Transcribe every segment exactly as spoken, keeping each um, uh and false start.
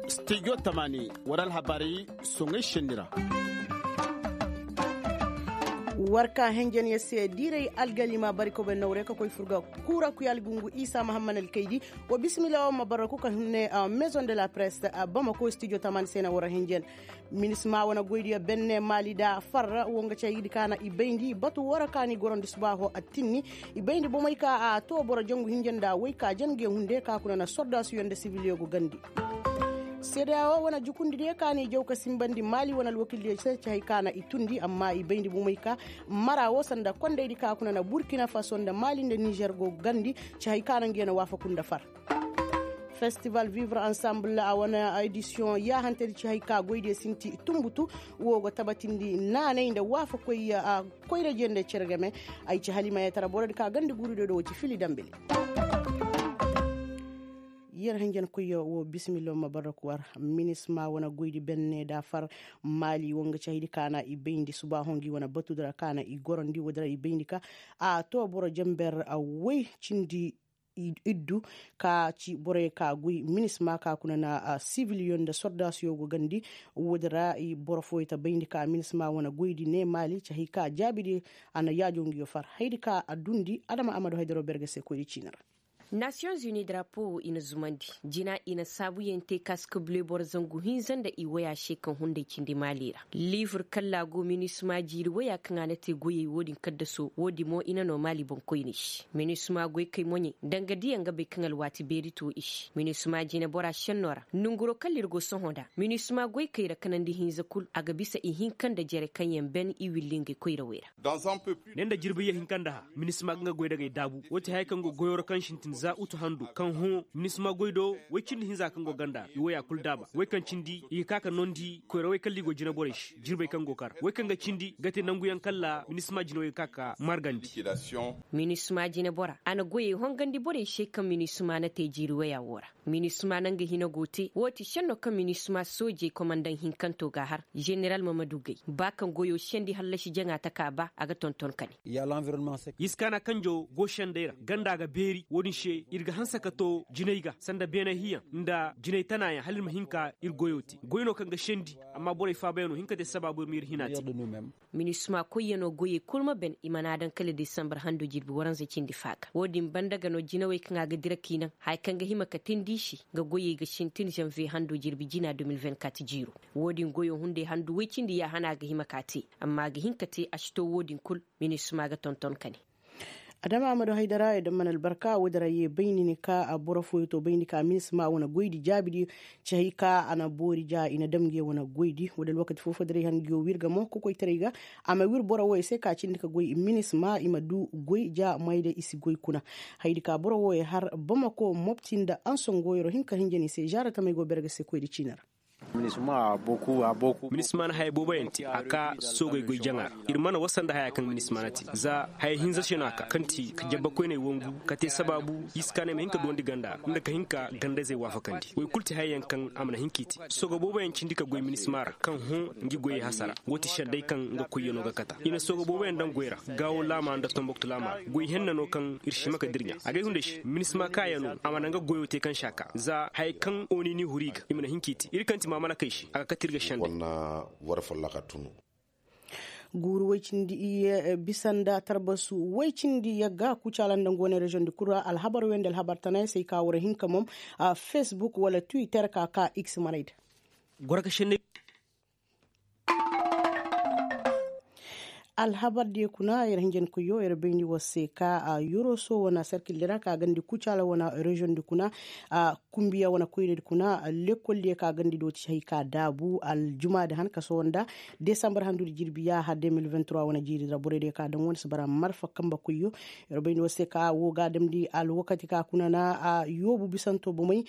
Studio tamani wara alhabari soŋay senni ra. War ka henjen ya se diiray algalima bari kobe nawre ka koy furga kura kuy algungu isa mahamman alkaydi. Wa bisimila wa ma barra kuka hinne maison de la presse bamako studio tamani se na wara henjen. Minisma wane goydiyo benne maali da farra wo nga caydi ka na i bayndi batu wara ka ni gorondi subaaho attinni. I bayndi bomey ka a to boro jangu hinja nda wey ka jan nge hunde ka kuna na sordaasiyo nda sibiliyo go gandi. Seedeya wo wane jukundidiyo ka ni jaw ka simbandi maali wane alwakildiyo se ci hay ka na i tundi amma i bayndi bomey ka mara wo sanda kondaydi ka kuna na burkina faso nda maali nda nizer go gandi. Ci hay ka na nge na waafaku nda far. Festival vivre ensemble a wane edisiyoŋ yaahantedi ci hay ka goydiyo sinti tumbutu. Wo go tabatindi naanay nda waafakoy koyra jende cere game. Ay ci halimayetara borodi ka ganda guurido do wo ci fili dambili. Yer hanjankoyyo wo bisimillo ma barra kuwar. Minisma wane goydi benne da far maali wo nga ci haydi ka na i bayndi subaaho ngi wane batudi ra ka na i gorondi woodi ra i bayndi ka a to boro jamber woy cindi iddu ka ci borey ka goy minisma ka kuna na sibiliyo nda sordaasiyo go gandi. Woodi ra boro fooyo ta bayndi ka minisma wane goydi ne maali ci hay ka jaabidi. A na yaajo ngiyo far haydi ka a dundi adama amadu haydaro berge se koyri ciini ra. Nasiyoŋ zuni drapo wo i na zumandi jina i na saabuyaŋ te ka si ka bule boro zangu hinza nda i waya se kaŋ hunday cindi maali ra. Liibur kalla go minisma jiiri waya kaŋ a na te goyey wo-din kaddaso wo-din mo i na no maali boŋkoyney se minisma goykey moɲey danga diya nga bay kaŋ alwaati beeri to i se minisma jinebora senno ra nonguro kalla ir go sohõ nda minisma goykey ra kanandi hinza kul a ga bisa ihinka nda jere kaŋ yaŋ ben i willi ngey koyrawey ra. Ne nda jirbi yahinka nda ha minisma ga nga goy dagey daabu wo ti haya kaŋ go goyoo ra kaŋ sintin za utu handu kaŋ hõ minisma goy do woy cindi hinza kaŋ go ganda i woya kul daaba woy kaŋ cindi i ga ka ka noondi koyrawey kalla i go jineborey se jirbey kaŋ go kar woy kaŋ ga cindi ga te nanguyaŋ kalla minisma jinewey ga ka ka margandi. Minisma jinebora a na goyey hongandi borey se kaŋ minisma na te jiiri woya wo ra. Minisma na nga hina go te wo ti senno kaŋ minisma soojey komandaŋ hinkanto ga a har. Zeneral mamadu gay ba kaŋ goyo sendi hallasi jaŋa taka ba a ga tonton kane. Iskaana kanjo go sendey ra ganda ga beeri wo-din se ir ga hanse ka to jinay ga sanda beenay hiyaŋ nda jinay tanaayaŋ hala ir ma hin ka ir goyo te goy no kaŋ ga sendi. Amma borey faabayaŋ no hin ka te sabaabu ir ma ir hina te. Minisma koyyanoo goyey kul ma ben i mana daŋ kala desambar hando jirbi waranza cindi faaga wo-din banda ga no jinawey kaŋ a ga dira k'i naŋ haya kaŋ ga hima ka tindi i se nga goyey ga sintin zanviye hando jirbi jina de mil vingt-kat jiiro. Wo-din goyo hunday handu woy cindi yaahana ga hima ka te amma a ga hin ka te a si to wo-din kul. Minisma ga tonton kane. Adama amadu haydara i daŋ mana albarka woodin ra ye bayni ni ka boro fooyo to bayndi ka minisma wane goydi jaabidiyo. Ci hay ka a na boori ja i na dam nge wane goydi woodi alwakati foo foo diray han ngiyo wirga mo kokoytaray ga. A ma wir boro wooyo se ka cindi ka goy minisma i ma du goy ja mayday i si goy kuna. Haydi ka boro wooyo har bamako mopti nda anson goyoro hin ka hinja ni se zaara tamey go berga se koydi ciini ra. Minisma na haya boobo yaŋ te a ka soogey goy jaŋa ra. Ir mana wasa nda haya kaŋ minisma na te za haya hinza se no a ka kaŋ ti ka jabbakoyney wangu ka te sabaabu iskaaney ma hin ka duwandi ganda nda ka hin ka gandayzey waafakandi woy kul ti haya yaŋ kaŋ a mana hin k'i te. Sooga boobo yaŋ cindi ka goy minisma ra kaŋ hõ ngi goyey hasara wo ti sedday kaŋ nga koyyanoo ga kata i na sooga boobo yaŋ daŋ goy ra. Gaawo laama nda tomboktu laama ra goy henna no kaŋ ir si hima ka dirɲa agay hunday se minisma kaaya no a mana nga goyo te kaŋ si a ka za haya kaŋ oni ni huru i ga i mana hin k'i te ir kaŋ ti maamalakey se a ga kate ir ga sendey. Guuru woy cindi iyye bisa nda tarbasu woy cindi yagga kucaala nda nga wane reziyoŋ di kul ra alhabar wey nda alhabar tanay se ay ka war hinka mom. Fesbuk wala twitter ka ka x manay da. Goro ka senney. Alhabar diyo kuna yer hinjankoyyo yer bayndi war se ka yoroso wane serkil di ra ka gandi kucaala wane reziyoŋ di kuna. Kumbiya wane koyra di kuna lekkol diyo ka gandi do ti hay ka daabu aljuma di han ka sohõ nda desambar handu di jirbi yaaha deux mille vingt-trois wane jiiri di ra borey diyo ka daŋ wane si bara marfa kambe koyyo. Yer bayndi war se ka wo ga damndi alwakati ka kuna na yoobu bisanto bomey.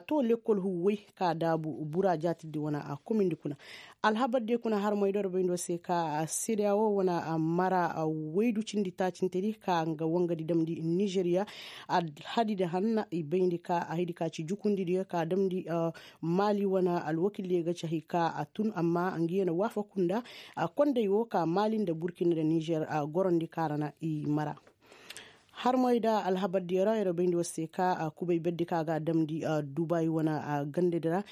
To lekkol huwwey ka daabu bura jaatidi wane komin di kuna. Alhabar diyo kuna harmey do yer bayndi war se ka sedeyawo wane mara waydu cindi taacintedi ka nga wangadi damndi nizeriya. Alhadidi hanna i bayndi ka haydi ka ci jukundidiyo ka damndi maali wane alwakildiyo ga ci hay ka a tun amma ngi wane waafaku nda konday wo ka maali nda burkina nda nizer gorondi ka ra na i mara. Harmoy nda alhabardiyo ra yer bayndi war se ka kubay berdi ka ga a damndi dubayi wane gandadi ra.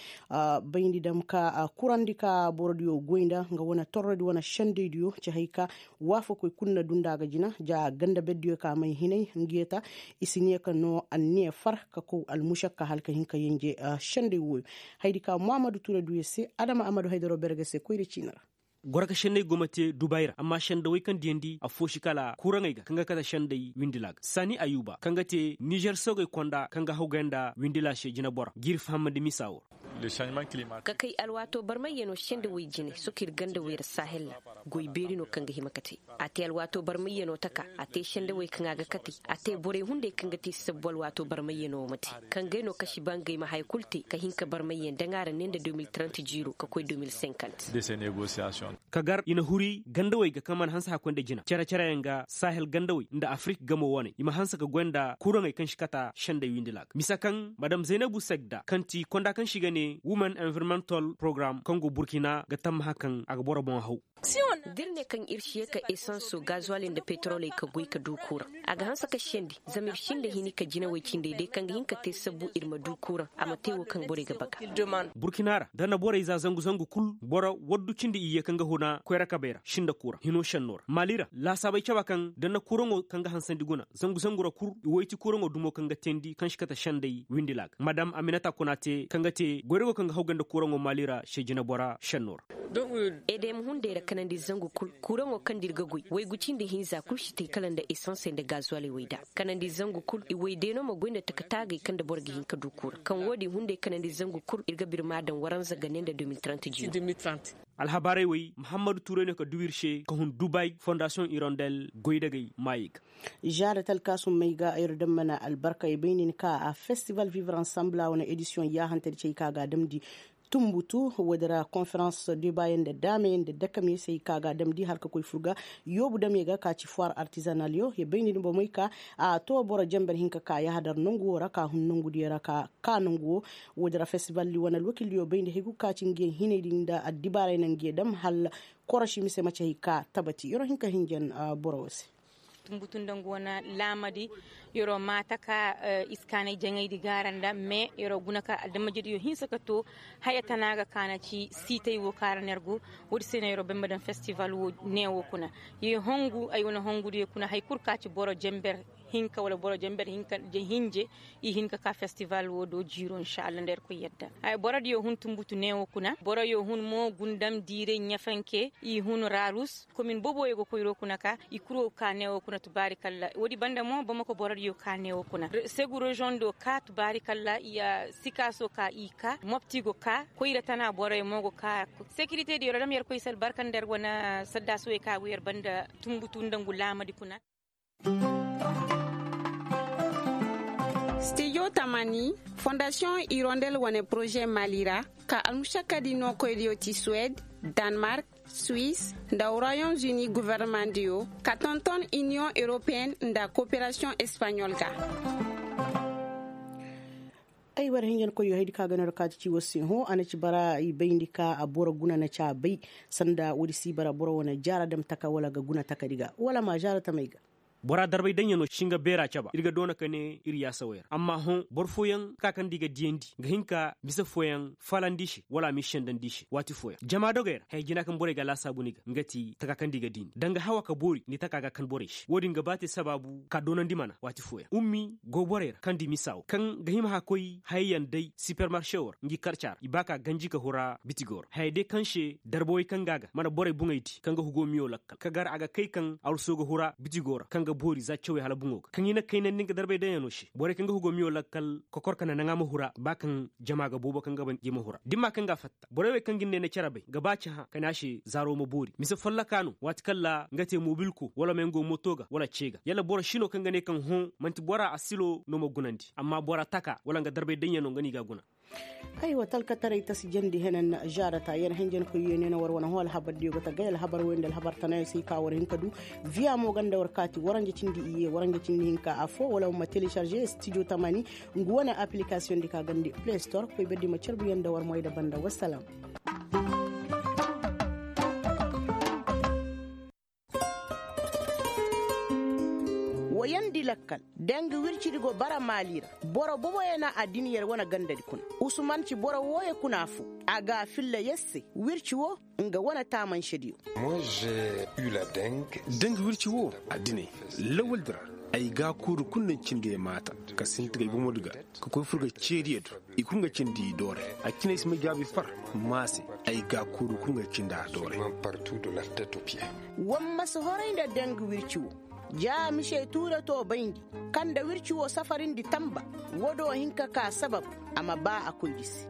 Bayndi dam ka kurandi ka borodiyo goy nda nga wane torrodi wane sendaydiyo ci hay ka waafakoy kul na du nda a ga jina ja ganda berdiyo ka may hinay ngiyo ta. I si ne ka no anniya far ka kow almušakka hala ka hin ka yenje senday wooyo. Hayadi ka muhammadu ture du yer se adama ammadu haydaro berge se koyra ciini ra. Goro ka sendey go ma te dubayi ra amma sendawey kaŋ diyandi affoosi kala kuraŋey ga kaŋ ga kate sendey windila ga saani ayuba kaŋ ga te nizer soogey konda kaŋ ga hawgay nda windila se jinebora g'ir fahamandi misa woo ra. Ka kay alwaato barmayyanoo sendawey jine soka ir gandawey ra sahel ra. Goy beeri no kaŋ ga hima ka te a te alwaato barmayyanoo taka a te sendawey kaŋ a ga kate a te borey hunday kaŋ ga te sabbu alwaato barmayyanoo ma te kaŋ gay no kasi ba ngey ma haya kul te ka hin ka barmayyan daŋ a ra ne nda deux mille trente jiiro ka koy deux mille cinquante. Ka gar i na huri gandawey ga kaŋ mana hanse hakkoy nda jina cere-cereyaŋ ga sahel gandawey nda afirik gamo wane i ma hanse ka goy nda kuraŋey kaŋ si kata sendey windila ga mise kaŋ madam zaynabu segda kaŋ ti konda kaŋ si ga ne women environmental program kaŋ go burkina ga tammaha kaŋ a ga boro boŋ haw. Da ir ne kaŋ ir si ye ka esanso gazuwali nda petroley ka goy ka du kuraŋ a ga hanse ka sendi zama ir sinda hini ka jinawey cindey day kaŋ ga hin ka te sabbu ir ma du kuraŋ a ma te wo kaŋ borey ga baga. Burkina ra da na borey za zangu zangu kul boro waddu cindi iyye kaŋ ga huna koyra kabey ra sinda kuraŋ hino senno ra maali ra laasaabey caba kaŋ da na kuraŋo kaŋ ga hansandi guna zangu zangu ra kul i woy ti kuraŋo dumo kaŋ ga teendi kaŋ si kate sendey windila ga madam aminata kuna te kaŋ ga te goyrago kaŋ ga hawgay nda kuraŋo maali ra se jinebora senno ra. Edem hunday ra kanandi zangu kul kuraŋo kaŋ nda ir ga goy waygu cindi hinza kul si te kala nda esansey nda gazuwaley wey da kanandi zangu kul i way day no ma goy nda taka taagay kaŋ nda boro ga hin ka du kura kaŋ wo-din hunday kanandi zangu kul ir ga birma daŋ waranza ga ne nda deux mille trente jiiro. Alhabaarey wey muhammadu tuuray no ka du ir se ka hun dubay fondasiyoŋ irondel goydagey maayey ga. Zaada talkaasummey ga ir daŋ mana albarka i bay nin ka a festival vivre ensemble a wane edisiyoŋ yaahantadi cay ka ga a damndi. Tumbutu woodi ra konferans debayaŋ nda daamayaŋ nda dakamyaŋ se hay ka ga a damndi hala ka koy fur ga. Yoobu damyaŋ ga ka ci foir artizanalyo ya bay nin bomey ka a to boro jamber hinka ka yaahadar nangu wo ra ka hun nangudiyaŋ ra ka ka nangu wo. Woodi ra festivaldi wane alwakildiyo bay nda hay kul ka ci ngiyaŋ hinaydi nda addibaarey na ngiyaŋ dam hala korosi mise maci hay ka tabati yer wo hin ka hinjan boro wo se. Tumbutu nda ngu wane laamadi yer wo maata ka iskaanay jaŋaydi gaara nda mais yer wo guna ka adamajediyo hinsa ka to haya tana ga kaana ci siitay wo kaara nergu. Woodi se no yer wo bay ma daŋ festival wo ne wo kuna. Ye hongu ay wane hongudiyo kuna hay kul ka ci boro jamber hinka wala boro jamber hinka hinje i hin ka ka festival wo do jiiro insa allah nda irkoy yadda. Borodiyo hun tumbutu ne wo kuna boroyo hun mo gundam diiray ɲafanke i hun rarus komin boboyo ga koyro kuna ka i kuro ka ne wo kuna tubaari kalla woodi banda mo bamako borodiyo ka ne wo kuna segu reziyoŋ do ka tubaari kalla i ya sikaaso ka i ka mopti go ka koyra tana boroyo mo go ka. Sekirite diyo ra dam yer koy se albarka nda yer wane saddaasuwey ka go yer banda tumbutu nda ngu laamadi kuna. Stijo tamani fondasiyoŋ irondel wane poroze mali ra ka almušakkadi nookoydiyo ti suwed, danmark, suis, nda royaume uni governemandiyo ka tonton iniyoŋ europeyen nda koperasiyoŋ espaɲol ga. Ay war hinjankoyyo haydi ka ga no ra kaati ci war se hõ a na ci bara i bayndi ka a boro guna na ci a bay. Sanda woodi si bara boro wane jaara dam taka wala ga guna takadi ga wala ma jaara tamey ga. Bora darbay daŋyaŋo si nga beera caba ir ga doona ka ne ir yaasawey ra amma hõ boro fooyaŋ taka kaŋ da i ga diyandi ga hin ka mise fooyaŋ falandi i se wala a m'i sendandi i se waati fooyaŋ jama dogey ra haya jina kaŋ borey ga laasaabu ni ga nga ti taka kaŋ da i ga diyandi danga hawa ka boori ni taka ga kan borey se wo-din ga ba te sabaabu ka doonandi mana waati fooyaŋ ummi go borey ra kaŋ di misa wo kaŋ ga hima ka koy hayey yaŋ day sipermarše wo ra ngi karca ra i ba ka ganji ka hura bitigo ra hayey day kaŋ se darbawey kaŋ ga a ga mana borey boŋey di kaŋ ga hugo miyo lakkal ka gar a ga kay kaŋ arso ga hura bitigo ra kaŋ ga boori za cawey hala boŋo ga kaŋ i na kaynandi nga darbay daŋyaŋo se borey kaŋ ga hugo miyo lakkal kokor ka na naŋ a ma hura ba kaŋ jama ga boobo kaŋ ga ba ngi ma hura dimma kaŋ ga a fatta borey wey kaŋ ga ni ne na care bay ga ba cahã ka ne a se zaaro ma boori mise folloka no waati kaŋ ra nga te mobilko wala ma yaŋ go moto ga wala ce ga yalla boro si no kaŋ ga ne kaŋ hõ man'ti bora asilo no ma gunandi amma bora taka wala nga darbay daŋyaŋo nga no i ga a guna. Aywa talkataray tasi jandi henan jaarata yer henjenkoyyo ne na war wane hõ alhabardiyo ga tagay alhabar woy nda alhabar tanayo se i ka war hin ka du. Viya mo ganda war kaati waranja cindi iyye waranja cindi hinka affo wala ma télécharger studio tamani ngu wane application di ka gandi play store koy berdi ma carbu yaŋ nda war moy nda banda wassalam. Yandi lakkal, danga wircidi go bara maali ra. Boro boboyo na addin yer wane gandadi kuna. Usman ci boro wooyo kuna foo. A ga a filla yer se wirci woo, nga wane taamansediyo. Danga wirci woo, addiney, lawaldi ra, ay gaakuuri kul na ay cindi ay maata, ka sinti ga ay bomodi ga, ka koy fur ga ceediyo do. I kul ga cindi i doore. A cine ay si may jaabi far, maa se, ay gaakuuri kul ga cindi a doore. War ma si horay nda danga wirci woo. Ja mise tuure to bayndi, kaŋ nda wirci woo safarindi tamba. Woo do hin ka kaa sabab, a ma baa a koydi se.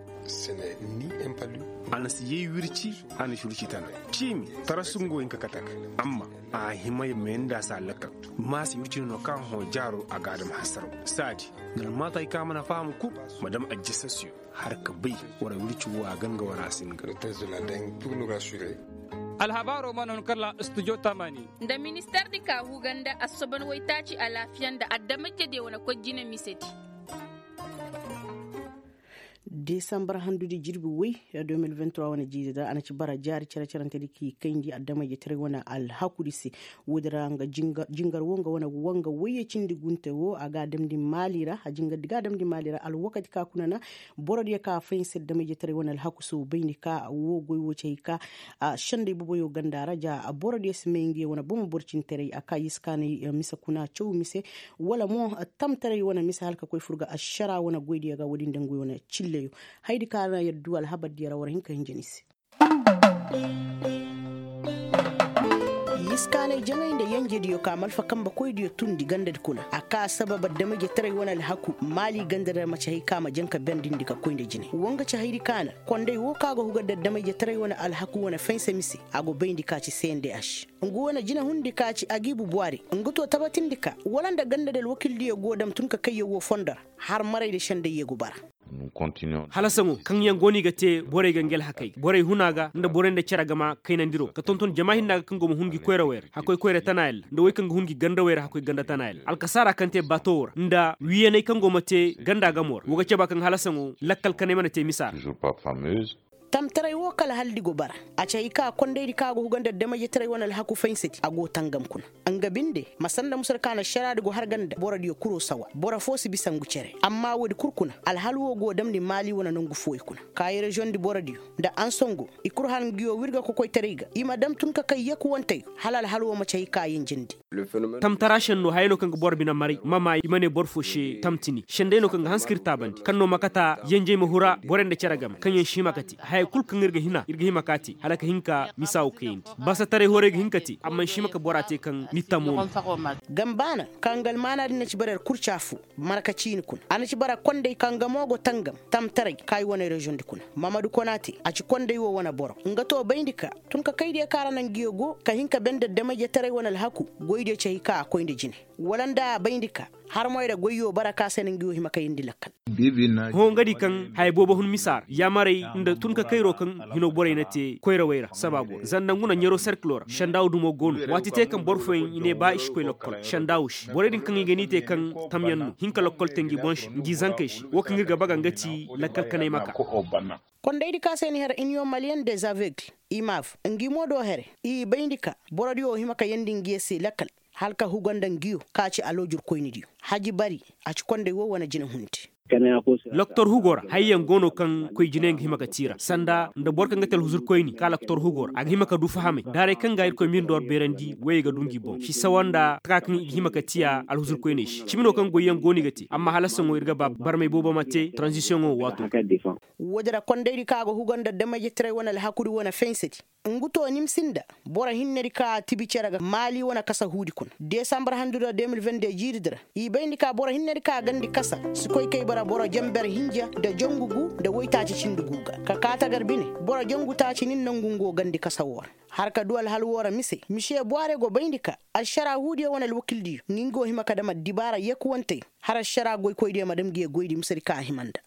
A na si yay wirci, a na si wirci tana. Ciimi, tarasu nga wo hin ka kate a ga. Amma a hima ya mayandi a se a lakkal. Maa se wirci no no kaŋ a hõ jaaro a ga a dam hasaraw. Saadi, nda almaata hay kaŋ a mana faham kul, ma dam ajjasasiyo. Har ka bay, war wirci woo a gan ga war a si nga. Alhabaaroo mana hun kala studio tamani. Nda minister di ka huga nda assoban waytaaci alaafiya nda adamajediyo wane koy jine misedi. Desambar handudi jirbi woy, deux mille vingt-trois wane jiiri ra a na ci bara jaari cere-cerentedi k'i kayndi adamajetaray wane alhakudi se. Woodi ra nga jingar woo nga wane wanga woyye cindi gunte woo a ga a damndi maali ra a jingardi ga a damndi maali ra alwakati ka kuna na. Borodiyo ka fahinsa adamajetaray wane alhaku se wo bayndi ka woo goy woo ci hay ka. Sendey boboyo ganda ra ja borodiyo si may ngiyo wane bomo borcintaray a ka yiskaanay mise kuna caw mise. Wala mo tamtaray wane mise hala ka koy fur ga ašara wane goydiyo ga woodin nda nguyo wane cilleyo. Hayadi ka na yaddu alhabardiyo ra war hin ka hinja ni se. Yiskaanay jaŋay nda yenjediyo ka malfa kambe koydiyo tundi gandadi kuna a ka sabab adamajetaray wane alhaku maali ganda ra maci hay ka ma jaŋ ka bendindi ka koy nda jine woo nga ci hayadi ka na. Konday woo ka go huga nda adamajetaray wane alhaku wane fahinsa mise a go bayndi ka ci cndh. Ngu wane jinehundi ka ci agiibu buwari ngu to tabatindi ka wala nda gandadi alwakildiyo go dam tun ka kayyaŋ woo fondo ra. Har maray nda sendayyo go bara. Hala saŋo kaŋyaŋ go no i ga te borey ga ngi alhakey ga borey huna ga nda borey nda cere gama kaynandiro ka tonton jama hinna ga kaŋ go ma hun ngi koyrawey ra hakkoy koyra tanayaŋ ra nda wey kaŋ ga hun ngi gandawey ra hakkoy ganda tanayaŋ ra alkasaara kaŋ te bato woo ra nda wiiyaney kaŋ go ma te ganda gamo ra woo ga caba kaŋ hala saŋo lakkal kaney mana te misa ra. Tamtaray woo kala hala di go bara. A ci hay ka kondaydi kaŋ a go huga nda adamajetaray wane alhaku fahinsadi a go tangam kuna. Nga binde ma sanda musar ka na ašaraadi go har ga nda borodiyo kuroo sawa boro foo si bisa ngu cere amma woodi kul kuna alhal woo go damndi maali wane nongu fooyo kuna. Kaayi reziyoŋdi borodiyo nda ansongo i kul har nguyo wirga kokoytaray ga i ma dam tun ka kay yakuwanteyo hala alhal woo ma ci hay ka yenjendi. Tamtara šenno hayey no kaŋ ga boro bine maray ma maa i ma ne boro foo se tamtini šenday no kaŋ ga hanse ka ir taabandi kaŋ no ma kata yenjey ma hura borey nda cere game kaŋyaŋ si hima ka te hayey kul kaŋ ir ga hina ir ga hima ka te hala ka hin ka misa woo kayandi basataray horey ga hin ka te amma si hima ka bora te kaŋ ni tamo no. Gambaana kaŋ ga almaana din na ci bara ir kurca foo marka ciini kuna a na ci bara konday kaŋ ga mo go tangam tamtaray kaayi wane reziyoŋdi kuna. Mamadu konaate a ci konday woo wane boro nga to bayndi ka tun ka kaydiyo kaŋ ra na nguyo go ka hin ka bende adamajetaray wane alhaku goydiyo ci hay ka a koy nda jine wala nda a bayndi ka harmoy ra goyyo bara ka se na nguyo hima kayandi lakkal. Hõ nga di kaŋ haya boobo hun misa ra yaamarey nda tun ka kayro kaŋ hino borey na te koyrawey ra sabaabo ra zanda ngu na ɲero serkilo ra sendaawu dumo go no waati te kaŋ boro fooyaŋ i ne ba i si koy lokkol sendaawu se borey din kaŋ i ga ni te kaŋ tamyaŋ no hin ka lokkol te ngi boŋ se ngi zankey se woo kaŋ ir ga baga nga ti lakkal kanay ma ka. Kondaydi ka se ni har iniyoŋ maliyen de zavegle imav ngi mo do here i bayndi ka borodiyo wo hima ka yeendi ngiyo se lakkal hala ka huga nda ngiyo ka ci aloojurkoynidiyo haji bari a ci konday wo wane jinehundi. Loktor hugo ra hayyaŋ go no kaŋ koy jine nga hima ka tiira sanda nda boro kaŋ ga te alhuzurkoyni ka loktor hugo ra a ga hima ka du fahamay daaray kaŋ ga irkoy mirndo ra beerandi woyey ga du ngi boŋ si sawa nda taka kaŋ i ga hima ka tiya alhuzurkoyney se cimi no kaŋ goyyaŋ go no i ga te amma hala saŋo ir ga ba barmay boobo ma te tranzisiyoŋo waato. Woodin ra kondaydi kaŋ a ga huga nda damayjetaray wane alhakudi wane faysadi ngu to nimsi nda boro hinnedi kaŋ a tibi cere ga maali wane kasahuudi kuna desambar handudi ra de mil vende jiiridi ra i bayndi ka boro hinnedi kaŋ a gandi kasa si koy kay bara boro jenber hinja nda jangu gu nda woytaaci cindi gu ga ka kaa tagar bine boro jangu taaci nin nangu ngu gandi kasa woo ra. Har ka du alhal woo ra mise misiye bwaare go bayndi ka alšaraahuudiyo wane alwakildiyo ngi ngi go hima ka dam addibaara yekuwanteyo har alšaraa goykoydiyo ma dam ngi ye goydi misedi kaŋ a hima nda.